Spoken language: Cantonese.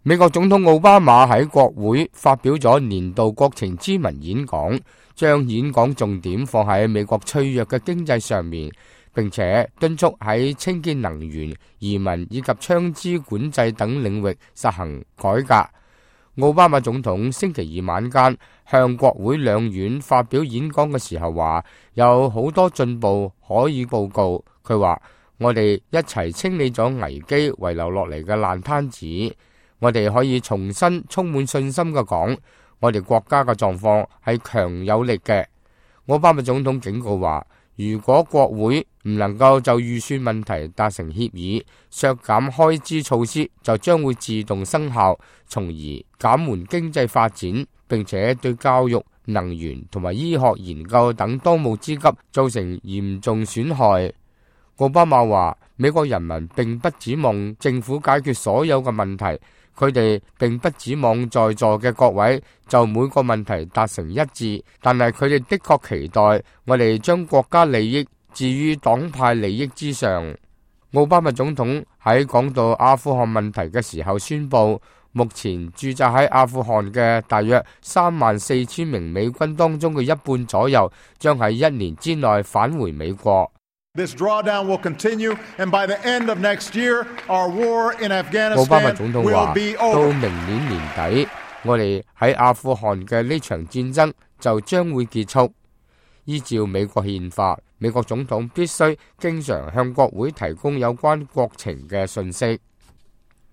美國總統奧巴馬喺國會發表咗年度國情咨文演講，將演講重點放喺美國脆弱嘅經濟上面，並且敦促喺清潔能源、移民以及槍支管制等領域實行改革。奧巴馬總統星期二晚間向國會兩院發表演講嘅時候話，有好多進步可以報告。佢話：我哋一齊清理咗危機遺留落嚟嘅爛攤子。我哋可以重新充滿信心嘅講，我哋國家嘅狀況係強有力嘅。奧巴馬總統警告話，如果國會唔能夠就預算問題達成協議，削減開支措施就將會自動生效，從而減緩經濟發展，並且對教育、能源同埋醫學研究等當務之急造成嚴重損害。奧巴馬話，美國人民並不指望政府解決所有嘅問題，佢哋並不指望在座嘅各位就每個問題達成一致，但係佢哋的確期待我哋將國家利益置於黨派利益之上。奧巴馬總統喺講到阿富汗問題嘅時候宣布，目前駐紮喺阿富汗嘅大約34000名美軍當中嘅一半左右，將喺1年之內返回美國。This drawdown will continue, and by the end of next year, our war in 奧巴馬總 Afghanistan 統 will 話， be 到 over. 明年年底，我哋喺阿富汗嘅呢場戰爭就將會結束。依照美國憲法，美國總統必須經常向國會提供有關國情嘅信息。